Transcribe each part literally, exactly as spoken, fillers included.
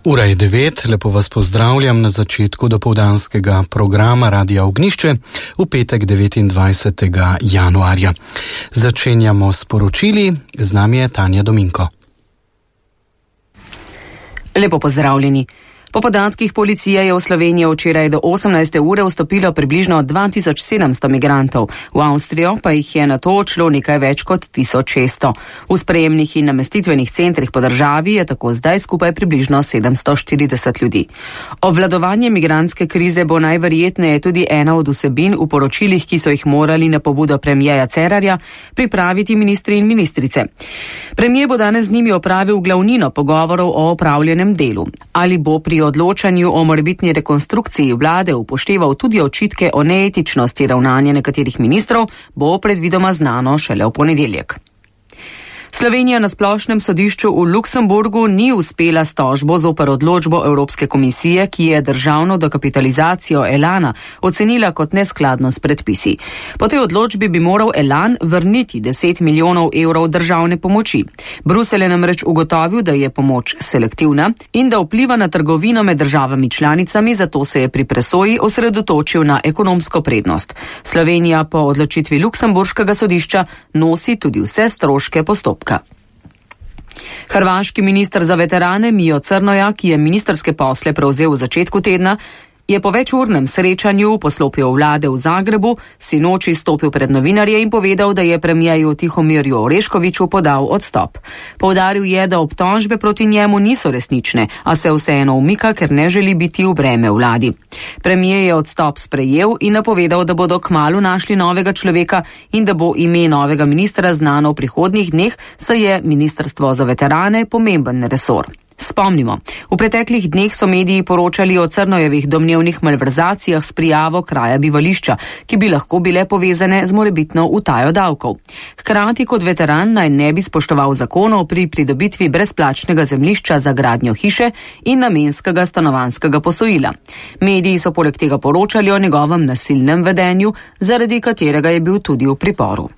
Ura je devet, lepo vas pozdravljam na začetku dopoldanskega programa Radia Ognjišče v petek devetindvajsetega januarja. Začenjamo s poročili, z nami je Tanja Dominko. Lepo pozdravljeni. Po podatkih policije je v Slovenijo včeraj do osemnajste ure vstopilo približno dva tisoč sedemsto migrantov, v Avstrijo pa jih je nato odšlo nekaj več kot tisoč šeststo. V sprejemnih in namestitvenih centrih po državi je tako zdaj skupaj približno sedemsto štirideset ljudi. Obvladovanje migrantske krize bo najverjetneje tudi ena od vsebin v poročilih, ki so jih morali na pobudo premijeja Cerarja pripraviti ministri in ministrice. Premijer bo danes z njimi opravil glavnino pogovorov o opravljenem delu. Ali bo pri odločanju o morebitni rekonstrukciji vlade upošteval tudi očitke o neetičnosti ravnanja nekaterih ministrov, bo predvidoma znano šele v ponedeljek. Slovenija na splošnem sodišču v Luksemburgu ni uspela s tožbo zoper odločbo Evropske komisije, ki je državno dokapitalizacijo Elana ocenila kot neskladno s predpisi. Po tej odločbi bi moral Elan vrniti deset milijonov evrov državne pomoči. Bruselj je namreč ugotovil, da je pomoč selektivna in da vpliva na trgovino med državami članicami, zato se je pri presoji osredotočil na ekonomsko prednost. Slovenija po odločitvi Luksemburškega sodišča nosi tudi vse stroške postopka. Hrvaški minister za veterane Mijo Crnoja, ki je ministrske posle prevzel v začetku tedna, je po večurnem srečanju v poslopju vlade v Zagrebu sinoči stopil pred novinarje in povedal, da je premijeju Tihomirju Oreškoviću podal odstop. Poudaril je, da obtožbe proti njemu niso resnične, a se vseeno umika, ker ne želi biti v breme vladi. Premijer je odstop sprejel in napovedal, da bodo kmalu našli novega človeka in da bo ime novega ministra znano v prihodnjih dneh, saj je ministrstvo za veterane pomemben resor. Spomnimo, v preteklih dneh so mediji poročali o Crnojevih domnevnih malverzacijah s prijavo kraja bivališča, ki bi lahko bile povezane z morebitno utajo davkov. Hkrati kot veteran naj ne bi spoštoval zakonov pri pridobitvi brezplačnega zemljišča za gradnjo hiše in namenskega stanovanjskega posojila. Mediji so poleg tega poročali o njegovem nasilnem vedenju, zaradi katerega je bil tudi v priporu.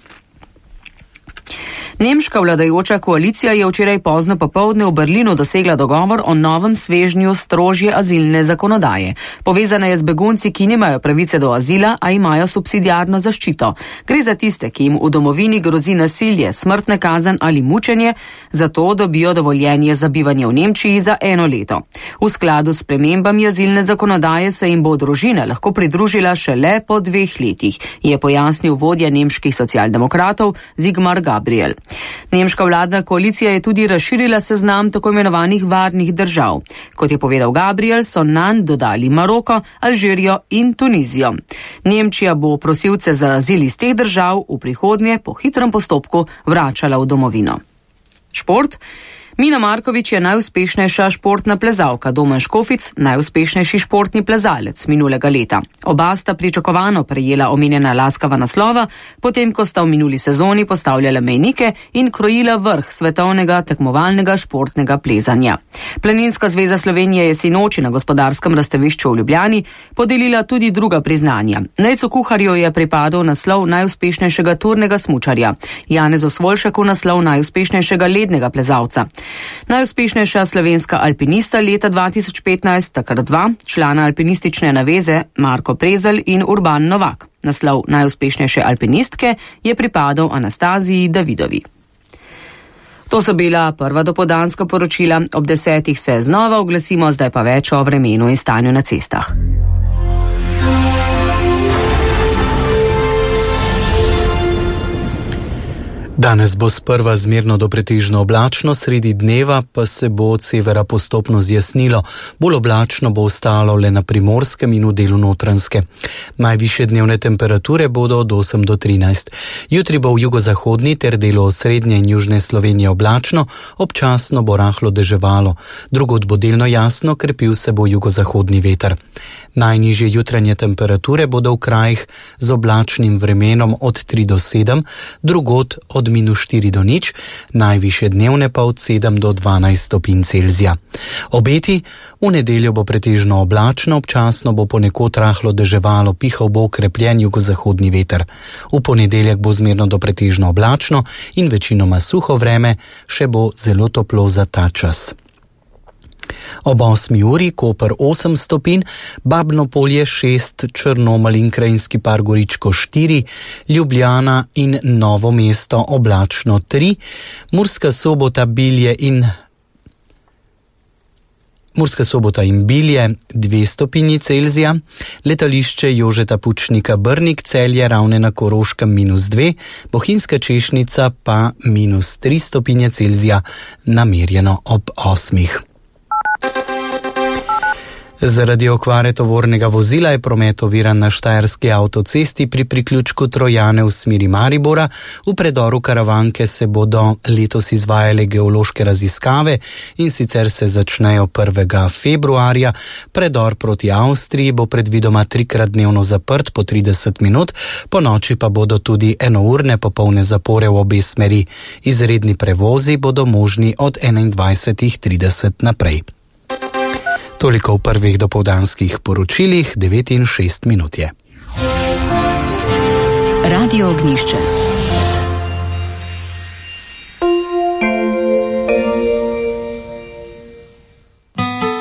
Nemška vladajoča koalicija je včeraj pozno popoldne v Berlinu dosegla dogovor o novem svežnju strožje azilne zakonodaje. Povezana je z begunci, ki nimajo pravice do azila, a imajo subsidiarno zaščito. Gre za tiste, ki jim v domovini grozi nasilje, smrtna kazen ali mučenje, zato dobijo dovoljenje za bivanje v Nemčiji za eno leto. V skladu s spremembami azilne zakonodaje se jim bo družina lahko pridružila šele po dveh letih, je pojasnil vodja nemških socialdemokratov Sigmar Gabriel. Nemška vladna koalicija je tudi razširila seznam tako imenovanih varnih držav. Kot je povedal Gabriel, so nanj dodali Maroko, Alžirijo in Tunizijo. Nemčija bo prosilce za azil iz teh držav v prihodnje po hitrem postopku vračala v domovino. Šport. Mina Markovič je najuspešnejša športna plezalka, Domen Škofic najuspešnejši športni plezalec minulega leta. Oba sta pričakovano prejela omenjena laskava naslova, potem ko sta v minuli sezoni postavljala mejnike in krojila vrh svetovnega tekmovalnega športnega plezanja. Planinska zveza Slovenije je sinoči na gospodarskem razstavišču v Ljubljani podelila tudi druga priznanja. Nejcu Kuharju je pripadal naslov najuspešnejšega turnega smučarja, Janezu Svoljšaku naslov najuspešnejšega lednega plezalca. Najuspešnejša slovenska alpinista leta dva tisoč petnajst, takrat dva, člana alpinistične naveze Marko Prezelj in Urban Novak. Naslov najuspešnejše alpinistke je pripadal Anastaziji Davidovi. To so bila prva dopoldanska poročila, ob desetih se znova oglasimo, zdaj pa več o vremenu in stanju na cestah. Danes bo sprva zmerno do pretežno oblačno, sredi dneva pa se bo od severa postopno zjasnilo. Bolj oblačno bo ostalo le na Primorskem in v delu Notranjske. Najvišje dnevne temperature bodo od osem do trinajst. Jutri bo v jugozahodni ter delu osrednje in južne Slovenije oblačno, občasno bo rahlo deževalo. Drugod bo delno jasno, krepil se bo jugozahodni veter. Najnižje jutranje temperature bodo v krajih z oblačnim vremenom od tri do sedem, drugod od od minus štiri do nič, najvišje dnevne pa od sedem do dvanajst stopinj Celzija. Obeti: v nedeljo bo pretežno oblačno, občasno bo ponekod rahlo deževalo, pihal bo okrepljen jugozahodni veter. V ponedeljek bo zmerno do pretežno oblačno in večinoma suho vreme, še bo zelo toplo za ta čas. Ob osmi uri Koper osem stopinj, Babno Polje šest, Črnomelj in Krajinski par Goričko štiri, Ljubljana in Novo mesto oblačno tri, Murska Sobota, Bilje in Murska Sobota in Bilje dve stopinji Celzija, letališče Jožeta Pučnika Brnik, Celje, Ravne na Koroškem minus dve, Bohinjska Češnica pa minus tri stopinje Celzija, namerjeno ob osmih. Zaradi okvare tovornega vozila je promet oviran na štajerski avtocesti pri priključku Trojane v smeri Maribora. V predoru Karavanke se bodo letos izvajale geološke raziskave in sicer se začnejo prvega februarja. Predor proti Avstriji bo predvidoma trikrat dnevno zaprt po trideset minut, po noči pa bodo tudi enourne popolne zapore v obe smeri. Izredni prevozi bodo možni od enaindvajset trideset naprej. Toliko v prvih dopoldanskih poročilih, devet in šest minut je. Radio Ognjišče.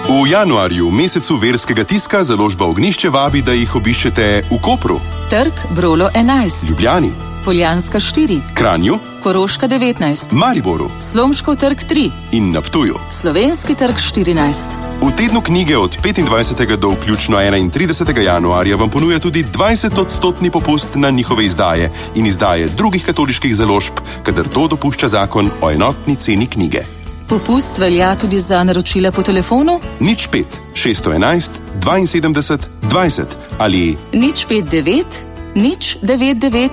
V januarju, mesecu verskega tiska, založba Ognjišče vabi, da jih obiščete v Kopru, Trg Brolo enajst, Ljubljani, Poljanska štiri, Kranju, Koroška devetnajst, Mariboru Slomškov trg tri in na Ptuju. Slovenski trg štirinajst. V tednu knjige od petindvajsetega do vključno enaintridesetega januarja vam ponuja tudi dvajset odstotni popust na njihove izdaje in izdaje drugih katoliških založb, kadar to dopušča zakon o enotni ceni knjige. Popust velja tudi za naročila po telefonu nič pet šeststo enajst dvainsedemdeset dvajset ali nič pet devet nič devet devet